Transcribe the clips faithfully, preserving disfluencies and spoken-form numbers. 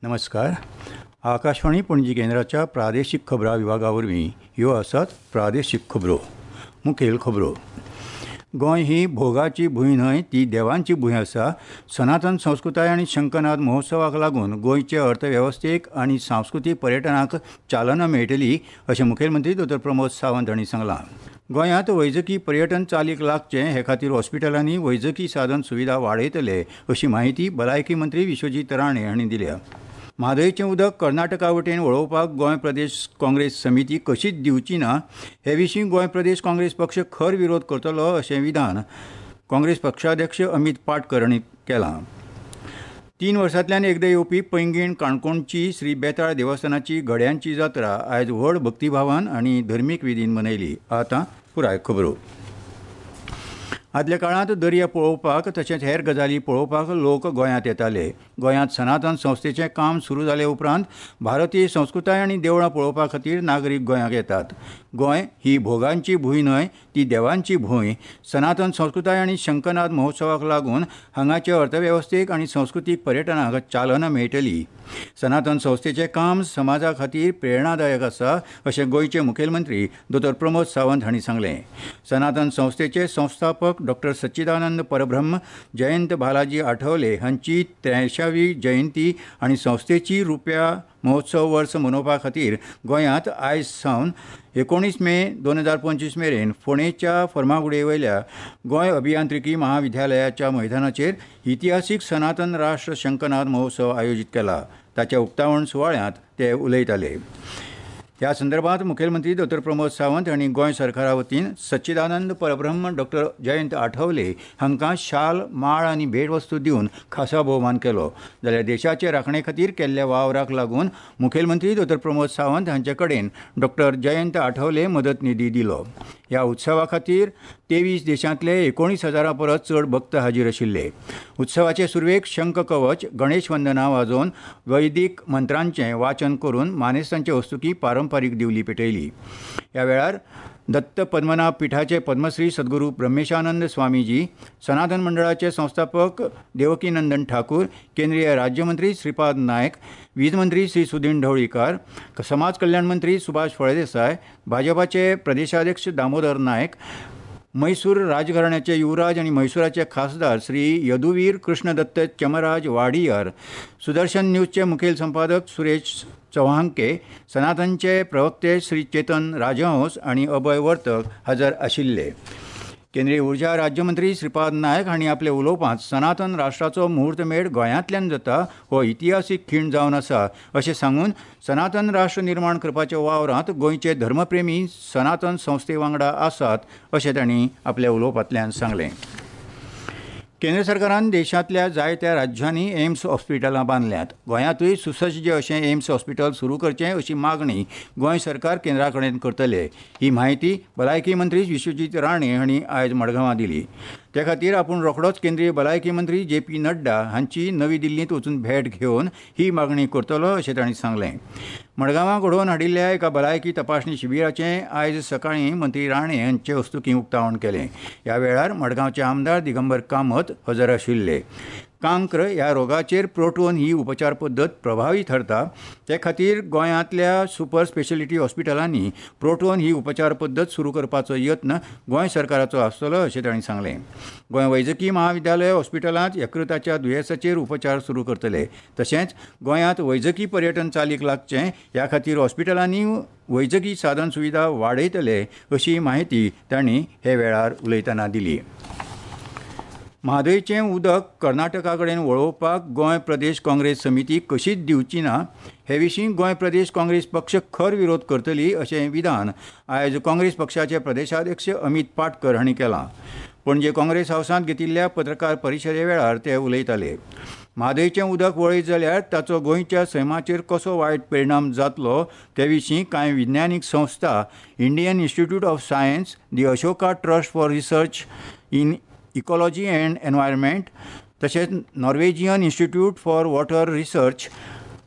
नमस्कार. आकाशवाणी पणजी केंद्राच्या प्रादेशीक खबरां विभागा वरवीं ह्यो आसात प्रादेशीक खबरो. मुखेल खबरो. गोंय ही भोगाची भूंय न्हय, ती देवांची भूंय आसा. सनातन संस्कृताय आनी शंखनाद महोत्सवाक लागून गोंयचे अर्थवेवस्थेक आनी सांस्कृतीक पर्यटनाक चालना मेळटली अशें मुखेलमंत्री दोतोर प्रमोद सावंत हांणी सांगलां. गोंयांत वैजकी पर्यटन चालीक लागचें हे खातीर हॉस्पिटलांनी वैजकी साधन सुविधा वाडयतले अशी म्हायती भलायकी मंत्री विश्वजीत राणे हांणी दिल्या. म्हादयचें उदक कर्नाटका वटेन वळोवपाक गोंय प्रदेश काँग्रेस समिती कशीच दिवची ना हे विशीं गोंय प्रदेश काँग्रेस पक्ष खर विरोध करतलो अशें विधान काँग्रेस पक्षाध्यक्ष अमीत पाटकर हांणी केलां. तीन वर्सांतल्यान एकदां येवपी पैंगीण काणकोणची श्री बेताळ देवस्थानाची घड्यांची जात्रा आयज व्हड भक्तिभावान आनी धर्मीक विधीन मनयली. आतां पुराय खबरो. आदल्या काळांत दर्या पळोवपाक तशेंच हेर गजाली पळोवपाक लोक गोंयांत येताले. गोंयांत सनातन संस्थेचें काम सुरू जाले उपरांत भारतीय संस्कृताय आनी देवळां पळोवपा खातीर नागरीक गोंयांत येतात. गोंय ही भोगांची भूंय न्हय, ती देवांची भूंय. सनातन संस्कृताय आनी शंखनाद महोत्सवाक लागून हांगाचे अर्थवेवस्थेक आनी संस्कृतीक पर्यटनाक चालना मेळटली. सनातन संस्थेचें काम समाजा खातीर प्रेरणादायक आसा अशें गोंयचे मुखेलमंत्री दोतोर प्रमोद सावंत हांणी सांगलें. सनातन संस्थेचे संस्थापक डॉक्टर सच्चिदानंद परब्रह्म जयंत बालाजी आठवले हांची त्र्यांयशावी जयंती आनी संस्थेची रुप्या महोत्सव वर्स मनोवपा खातीर गोंयांत आयज सावन एकोणीस मे दोन हजार पंचवीस मेरेन फोंडेच्या फर्मागुडये वयल्या गोंय अभियांत्रिकी महाविद्यालयाच्या मैदानाचेर इतिहासीक सनातन राष्ट्र शंखनाद महोत्सव आयोजीत केला. ताच्या उक्तावण सुवाळ्यांत ते उलयताले. ह्या संदर्भात मुखेलमंत्री दोतोर प्रमोद सावंत हांणी गोंय सरकारा वतीन सच्चिदानंद परब्रह्म डॉक्टर जयंत आठवले हांकां शाल, माळ आनी भेटवस्तू दिवन खासा भोवमान केलो. जाल्यार देशाचे राखणे खातीर केल्ल्या वावराक लागून मुखेलमंत्री दोतोर प्रमोद सावंत हांचे कडेन डॉक्टर जयंत आठवले मदत निधी दिलो. ह्या उत्सवा खातीर तेवीस देशांतले एकोणीस हजारां परस चड भक्त हाजीर आशिल्ले. उत्सवाचे सुरवेक शंख कवच, गणेश वंदना वाजोवन वैदीक मंत्रांचें वाचन करून मानेस्तांचे हस्तुकीं पारंपारीक दिवली पेटयली. ह्या वेळार दत्त पद्मनाभ पिठाचे पद्मश्री सद्गुरू ब्रह्मेशानंद स्वामीजी, सनातन मंडळाचे संस्थापक देवकीनंदन ठाकूर, केंद्रीय राज्यमंत्री श्रीपाद नायक, वीज मंत्री श्री सुदीन ढवळीकार, समाज कल्याण मंत्री सुभाष फळदेसाय, भाजपाचे प्रदेशाध्यक्ष दामोदर नायक, मैसूर राजघराण्याचे युवराज आनी म्हैसूराचे खासदार श्री यदुवीर कृष्णदत्त चमराज वाडियार, सुदर्शन न्यूजचे मुखेल संपादक सुरेश चव्हाणके, सनातनचे प्रवक्ते श्री चेतन राजहंस आनी अभय वर्तक हजर आशिल्ले. केंद्रीय ऊर्जा राज्यमंत्री श्रीपाद नायक हांणी आपल्या उलोवपांत सनातन राष्ट्राचो मुहूर्तमेढ गोंयांतल्यान जाता हो इतिहासीक खीण जावन आसा अशें सांगून सनातन राष्ट्र निर्माण करपाच्या वावरांत गोंयचे धर्मप्रेमी सनातन संस्थे वांगडा आसात अशें तांणी आपल्या उलोवपांतल्यान सांगलें. केंद्र सरकारान देशांतल्या जायत्या राज्यांनी एम्स हॉस्पिटलां बांदल्यांत. गोंयांतूय सुसज्ज अशें एम्स हॉस्पिटल सुरू करचें अशी मागणी गोंय सरकार केंद्रा कडेन करतले. ही म्हायती भलायकी मंत्री विश्वजीत राणे हांणी आयज मडगांवां दिली. ते खातीर आपूण रोखडोच केंद्रीय भलायकी मंत्री जे पी नड्डा हांची नवी दिल्लींत वचून भेट घेवन ही मागणी करतलो अशें तांणी सांगलें. मडगांवां घडोवन हाडिल्ल्या एका भलायकी तपासणी शिबिराचें आयज सकाळीं मंत्री राणे हांचे हस्तुकीं उक्तावण केलें. ह्या वेळार मडगांवचे आमदार दिगंबर कामत हजर आशिल्ले. कांक्र ह्या रोगाचेर प्रोटोन ही उपचार पद्दत प्रभावी थारता. ते खातीर गोंयांतल्या सुपर स्पेशलिटी हॉस्पिटलांनी प्रोटोन ही उपचार पद्दत सुरू करपाचो यत्न गोंय सरकाराचो आसतलो अशें तांणी सांगलें. गोंय वैजकी महाविद्यालय हॉस्पिटलांत यकृताच्या दुयेंसाचेर उपचार सुरू करतले. तशेंच गोंयांत वैजकी पर्यटन चालीक लागचें ह्या खातीर हॉस्पिटलांनी वैजकी साधन सुविधा वाडयतले अशी म्हायती तांणी हे वेळार उलयतना दिली. म्हादयचें उदक कर्नाटका कडेन वळोवपाक गोंय प्रदेश काँग्रेस समिती कशीच दिवची ना हे विशीं गोंय प्रदेश काँग्रेस पक्ष खर विरोध करतली अशें विधान आयज काँग्रेस पक्षाचे प्रदेशाध्यक्ष अमीत पाटकर हांणी केलां. पणजे काँग्रेस हावसांत घेतिल्ल्या पत्रकार परिशदे वेळार ते उलयताले. म्हादयचें उदक वळयत जाल्यार ताचो गोंयच्या सैमाचेर कसो वायट परिणाम जातलो ते विशीं कांय विज्ञानीक संस्था Indian Institute of Science, the Ashoka Trust for Research in Ecology and Environment, तशेंच Norwegian Institute for Water Research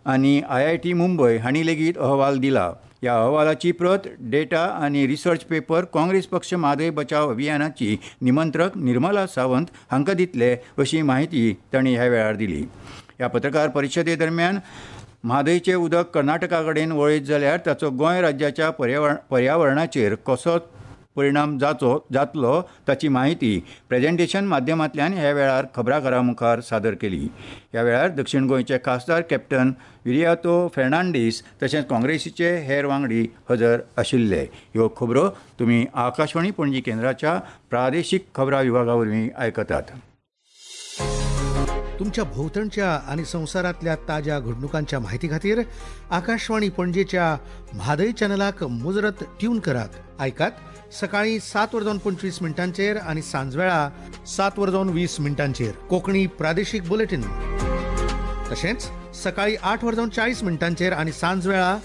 आनी आय I T Mumbai हांणी लेगीत अहवाल दिला. ह्या अहवालाची प्रत, डेटा आनी रिसर्च पेपर काँग्रेस पक्ष म्हादय बचाव अभियानाची निमंत्रक निर्मला सावंत हांकां दितले अशी म्हायती तांणी ह्या वेळार दिली. ह्या पत्रकार परिशदे दरम्यान म्हादयचें उदक कर्नाटका कडेन वळयत जाल्यार ताचो गोंय राज्याच्या पर्यावरणाचेर कसो परिणाम जाचो जातलो ताची म्हायती प्रेजेंटेशन माध्यमांतल्यान ह्या वेळार खबराकारां मुखार सादर केली. ह्या वेळार दक्षिण गोंयचे खासदार कॅप्टन विरियातो फेर्नांडीस तशेंच काँग्रेसीचे हेर वांगडी हजर आशिल्ले. ह्यो खबरो तुमी आकाशवाणी पणजी केंद्राच्या प्रादेशीक खबरां विभागा वरवीं आयकतात. तुमच्या भोवतणच्या आनी संवसारांतल्या ताज्या घडणुकांच्या माहिती खातीर आकाशवाणी पणजेच्या म्हादय चॅनलाक मुजरत ट्यून करात. आयकात सकाळी सात वर जावन पंचवीस मिनटांचेर आनी सांजवेळा सात वर जावन वीस मिनटांचेर कोंकणी प्रादेशीक बुलेटीन, तशेंच सकाळी आठ वर जावन चाळीस मिनटांचेर आनी सांजवेळा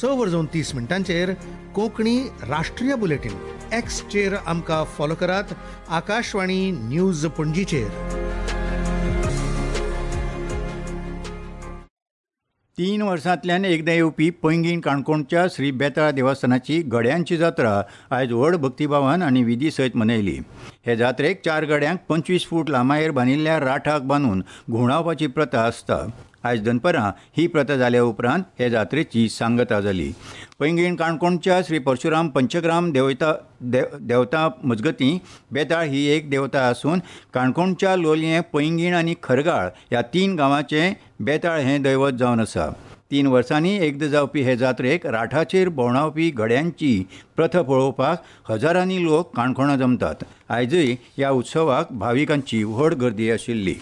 स वर जावन तीस मिनटांचेर कोंकणी राष्ट्रीय बुलेटीन. एक्सचेर आमकां फॉलो करात आकाशवाणी न्यूज पणजीचेर. तीन वर्सांतल्यान एकदां येवपी पैंगीण काणकोणच्या श्री बेताळ देवस्थानाची गड्यांची जात्रा आयज व्हड भक्तिभावान आनी विधी सयत मनयली. हे जात्रेक चार गड्यांक पंचवीस फूट लांबायेर बांदिल्ल्या राठाक बांदून घुंवडावपाची प्रथा आसता. आयज दनपरां ही प्रथा जाल्या उपरांत हे जात्रेची सांगता जाली. पैंगीण काणकोणच्या श्री परशुराम पंचग्राम देवता देवता मजगतीं बेताळ ही एक देवता आसून काणकोणच्या लोलयें, पैंगीण आनी खरगाळ ह्या तीन गांवांचें बेताळ हें दैवत जावन आसा. तीन वर्सांनी एकदां जावपी हे जात्रेक राठाचेर भोंवडावपी गड्यांची प्रथा पळोवपाक हजारांनी लोक काणकोणा जमतात. आयजूय ह्या उत्सवाक भाविकांची व्हड गर्दी आशिल्ली.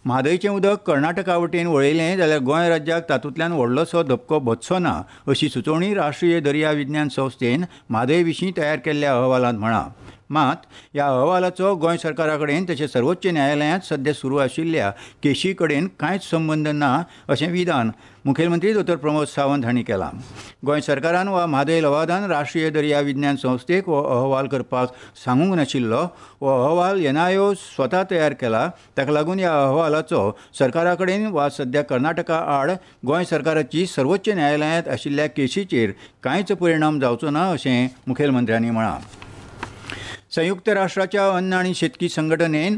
म्हादयचें उदक कर्नाटका वटेन वळयलें जाल्यार गोंय राज्याक तातूंतल्यान व्हडलोसो धपको बसचो ना अशी सुचोवणी राष्ट्रीय दर्या विज्ञान संस्थेन म्हादय विशीं तयार केल्ल्या अहवालांत म्हळां. मात ह्या अहवालाचो गोंय सरकारा कडेन तशें सर्वोच्च न्यायालयांत सद्या सुरू आशिल्ल्या केशी कडेन कांयच संबंद ना अशें विधान मुखेलमंत्री दोतोर प्रमोद सावंत हांणी केलां. गोंय सरकारान वा म्हादय लवादान राष्ट्रीय दर्या विज्ञान संस्थेक हो अहवाल करपाक सांगूंक नाशिल्लो. हो अहवाल एनआयओ स्वता तयार केला. ताका लागून ह्या अहवालाचो सरकारा कडेन वा सद्या कर्नाटका आड गोंय सरकाराची सर्वोच्च न्यायालयांत आशिल्ल्या केशीचेर कांयच परिणाम जावचो ना अशें मुखेलमंत्र्यांनी म्हळां. संयुक्त राष्ट्राच्या अन्न आनी शेतकी संघटनेन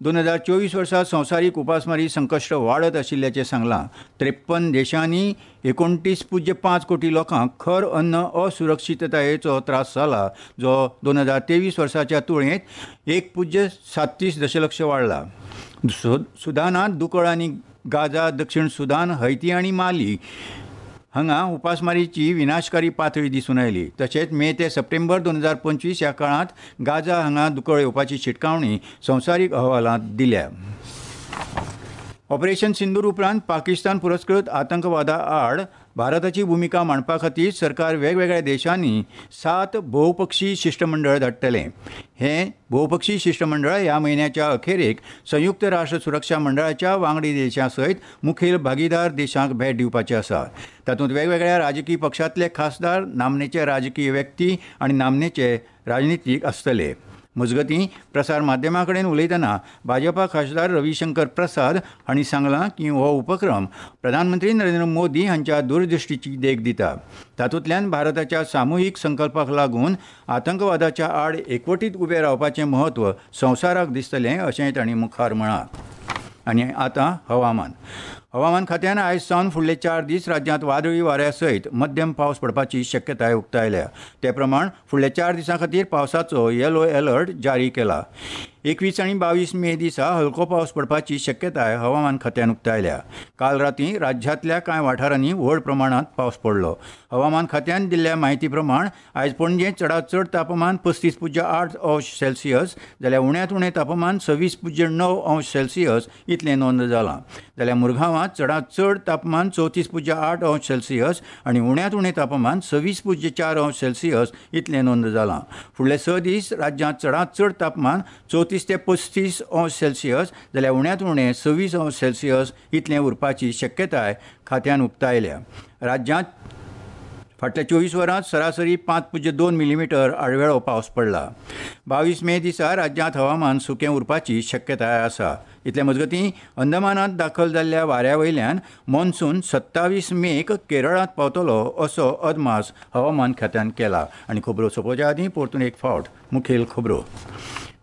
दोन हजार चोवीस वर्सा संवसारीक उपासमारी संकश्ट वाडत आशिल्ल्याचें सांगलां. त्रेप्पन देशांनी एकोणतीस पुज्य पांच कोटी लोकांक खर अन्न असुरक्षिततायेचो त्रास जाला, जो दोन हजार तेवीस वर्साच्या तुळेंत एक पुज्य साततीस दशलक्ष वाडला. सुदानांत दुकळ आनी गाझा, दक्षिण सुदान, हैती आनी माली हांगा उपासमारीची विनाशकारी पातळी दिसून आयली. तशेंच मे ते सप्टेंबर दोन हजार पंचवीस ह्या काळांत गाझा हांगा दुकळ येवपाची शिटकावणी संवसारीक अहवालांत दिल्या. ऑपरेशन सिंदूर उपरांत पाकिस्तान पुरस्कृत आतंकवादा आड भारताची भुमिका मांडपा खातीर सरकार वेगवेगळ्या देशांनी सात भोवपक्षी शिश्टमंडळ धाडटलें. हें भोवपक्षी शिश्टमंडळ ह्या म्हयन्याच्या अखेरेक संयुक्त राष्ट्र सुरक्षा मंडळाच्या वांगडी देशां सयत मुखेल भागीदार देशांक भेट दिवपाचें आसा. तातूंत वेगवेगळ्या राजकीय पक्षांतले खासदार, नामनेचे राजकीय व्यक्ती आनी नामनेचे राजनितीक आसतले. मजगतीं प्रसार माध्यमां कडेन उलयतना भाजपा खासदार रविशंकर प्रसाद हांणी सांगलां की हो उपक्रम प्रधानमंत्री नरेंद्र मोदी हांच्या दूरदृश्टीची देख दिता. तातूंतल्यान भारताच्या सामुहीक संकल्पाक लागून आतंकवादाच्या आड एकवटीत उबें रावपाचें म्हत्व संवसाराक दिसतलें अशें तांणी मुखार म्हळां. आनी आतां हवामान. हवामान खात्यान आयज सावन फुडले चार दीस राज्यांत वादळी वाऱ्या सयत मध्यम पावस पडपाची शक्यताय उक्तायल्या. ते प्रमाण फुडल्या चार दिसां खातीर पावसाचो येलो अलर्ट जारी केला. एकवीस आनी बावीस मे दिसा हलको पावस पडपाची शक्यताय हवामान खात्यान उक्तायल्या. काल राती राज्यांतल्या कांय वाठारांनी व्हड प्रमाणांत पावस पडलो. हवामान खात्यान दिल्ल्या म्हायती प्रमाण आयज पणजे चडांत चड तापमान पस्तीस पुज्य आठ अंश सेल्सियस जाल्यार उण्यांत उणें तापमान सव्वीस पुज्य णव अंश सेल्सियस इतलें नोंद जालां. जाल्यार मुरगांवांत चडांत चड तापमान चवतीस पुज्य आठ अंश सेल्सियस आनी उण्यांत उणें तापमान सव्वीस पुज्य चार अंश सेल्सियस इतलें नोंद जालां. फुडले स दीस राज्यांत चडांत चड तापमान चवतीस ते पस्तीस अंश सेल्सियस जाल्यार उण्यांत उणें सव्वीस अंश सेल्सियस इतलें उरपाची शक्यताय खात्यान उक्तायल्या. राज्यांत फाटल्या चोवीस वरांत सरासरी पांच पुज्य दोन मिलीमिटर आडवेळो पावस पडला. बावीस मे दिसा राज्यांत हवामान सुकें उरपाची शक्यताय आसा. इतले मजगतीं अंदमानांत दाखल जाल्ल्या वाऱ्या वयल्यान मॉन्सून सत्तावीस मेक केरळांत पावतलो असो अदमास हवामान खात्यान केला. आनी खबरो सोंपोवच्या आदीं परतून एक फावट मुखेल खबरो.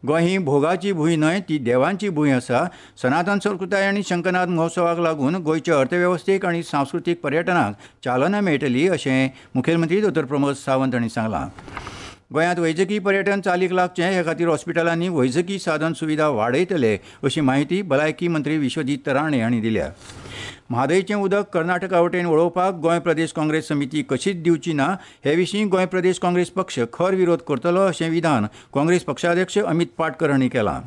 गोंय ही भोगाची भूंय न्हय, ती देवांची भूंय आसा. सनातन संस्कृताय आनी शंखनाद महोत्सवाक लागून गोंयचे अर्थवेवस्थेक आनी सांस्कृतीक पर्यटनाक चालना मेळटली अशें मुखेलमंत्री दोतोर प्रमोद सावंत हांणी सांगलां. गोंयांत वैजकी पर्यटन चालीक लागचें हे खातीर हॉस्पिटलांनी वैजकी साधन सुविधा वाडयतले अशी म्हायती भलायकी मंत्री विश्वजीत राणे हांणी दिल्या. म्हादयचें उदक कर्नाटका वटेन वळोवपाक गोंय प्रदेश काँग्रेस समिती कशीच दिवची ना हे विशीं गोंय प्रदेश काँग्रेस पक्ष खर विरोध करतलो अशें विधान काँग्रेस पक्षाध्यक्ष अमित पाटकर हांणी केलां.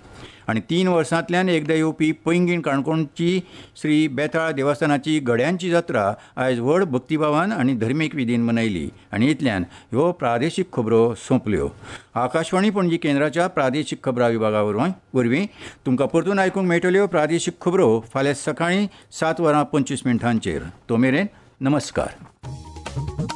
आनी तीन वर्सांतल्यान एकदां येवपी पैंगीण काणकोणची श्री बेताळ देवस्थानाची गड्यांची जात्रा आयज व्हड भक्तिभावान आनी धर्मीक विधीन मनयली. आनी इतल्यान ह्यो प्रादेशीक खबरो सोंपल्यो. आकाशवाणी पणजी केंद्राच्या प्रादेशीक खबरां विभागा वरवीं तुमकां परतून आयकूंक मेळटल्यो प्रादेशीक खबरो फाल्यां सकाळीं सात वरां पंचवीस मिनटांचेर. तो मेरेन नमस्कार.